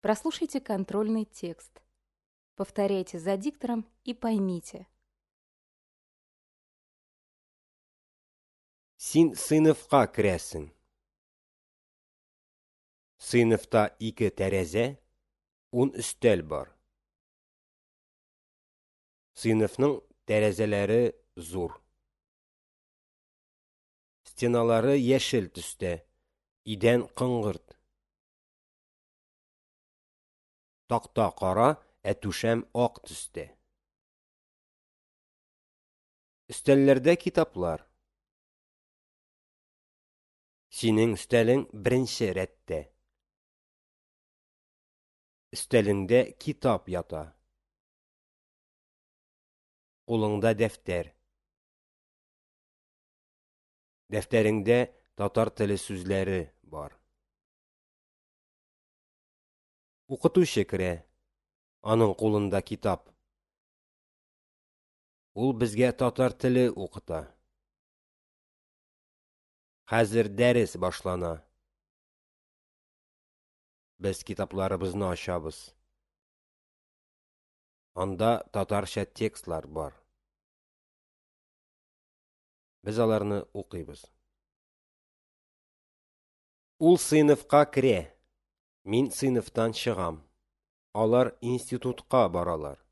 Прослушайте контрольный текст. Повторяйте за диктором и поймите. Син сыйныфка керәсең. Сыйныфта ике тәрәзә, 10 өстәл бар. Сыйныфның тәрәзәләре зур. Стеналары яшел төстә, идән коңгырт. Такта кара, ә түшәм ак төстә. Өстәлләрдә китаплар. Синең өстәлең беренче рәттә. Өстәлеңдә китап ята. Кулыңда дәфтәр. Дәфтәреңдә татар теле сүзләре бар. Укытучы керә. Аның кулында китап. Ул безгә татар теле укыта. Хәзер дәрес башлана. Без китапларыбызны ачабыз. Анда татарча текстлар бар. Без аларны укыйбыз. Ул сыйныфка керә. Мин сыйныфтан чыгам. Алар институтка баралар.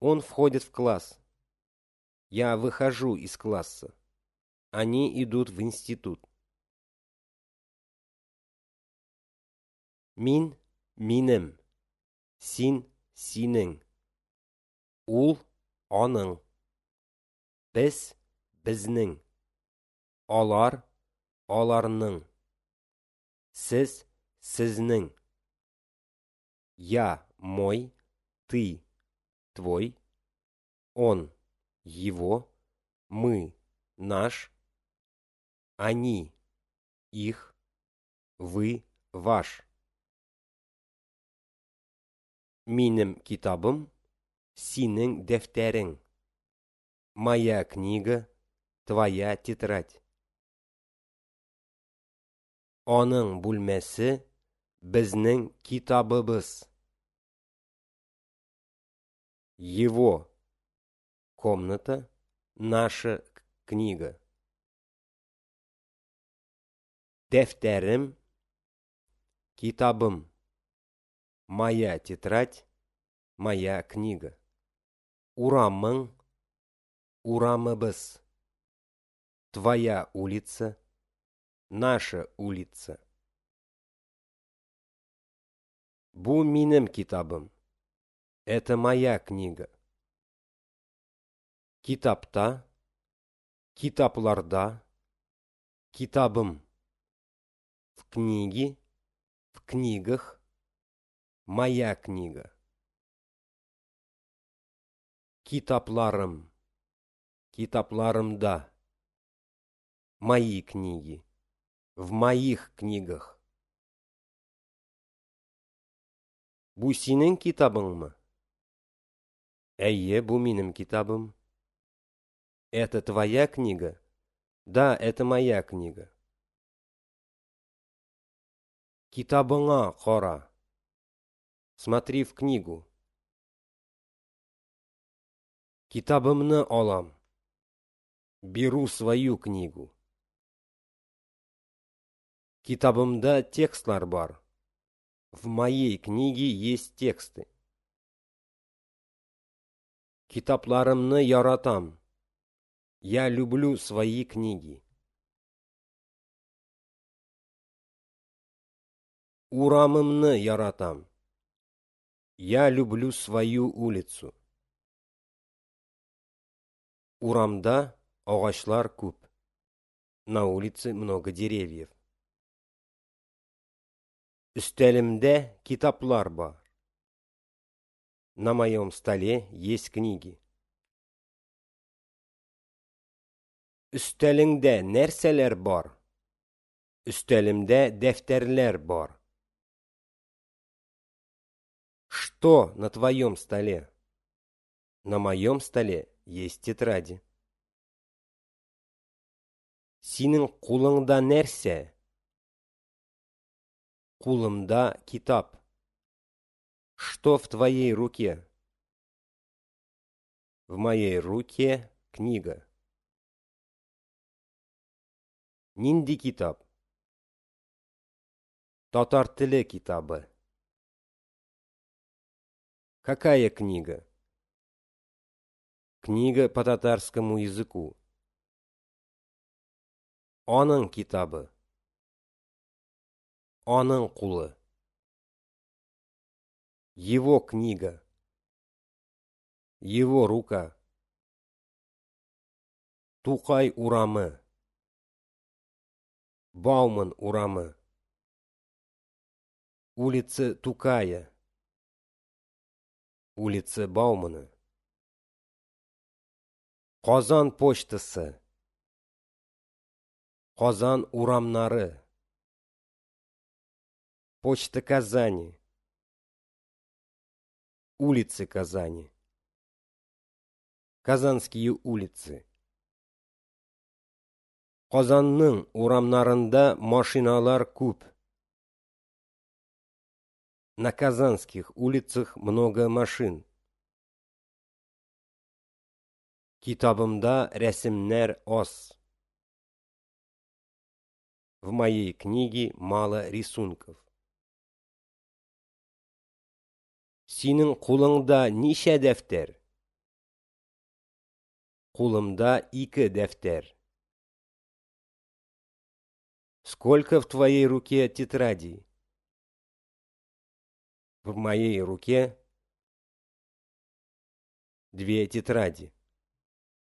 Он входит в класс. Я выхожу из класса. Они идут в институт. Мин, минем. Син, синең. Ул, аның. Без, безнең. Алар, аларның. Сез, сезнең. Я, мой, ты, твой, он, его, мы, наш, они, их, вы, ваш. Минем китабым, синең дәфтәрең. Моя книга, твоя тетрадь. Аның бүлмәсе, безнең китабыбыз. Его комната, наша книга. Дәфтәрем, китабым. Моя тетрадь, моя книга. Урамың, урамыбыз. Твоя улица, наша улица. Бу минем китабым. Это моя книга. Китапта, китапларда, китабым. В книге, в книгах, моя книга. Китапларым, китапларымда. Мои книги, в моих книгах. Бу синең китабыңмы? Әйе, бу минем китабым. Это твоя книга? Да, это моя книга. Китабыңа кара. Смотри в книгу. Китабымны алам. Беру свою книгу. Китабымда текстлар бар. В моей книге есть тексты. Китапларымны яратам. Я люблю свои книги. Урамымны яратам. Я люблю свою улицу. Урамда агачлар күп. На улице много деревьев. Өстәлемдә китаплар бар. На моем столе есть книги. Өстәлеңдә нәрсәләр бар? Өстәлемдә дәфтәрләр бар. Что на твоем столе? На моем столе есть тетради. Синең кулыңда нәрсә? Кулымда китап. Что в твоей руке? В моей руке книга. Нинди китап? Татар теле китабы. Какая книга? Книга по татарскому языку. Аның китабы. Аның кулы. Его книга. Его рука. Тукай урамы. Бауман урамы. Улица Тукая. Улица Баумана. Казан почтасы. Казан урамнары. Почта Казани. Улицы Казани. Казанские улицы. Казанның урамнарында машиналар күп. На казанских улицах много машин. Китабымда рәсемнәр аз. В моей книге мало рисунков. Синең кулыңда ничә дәфтәр? Кулымда ике дәфтәр. Сколько в твоей руке тетрадей? В моей руке две тетради.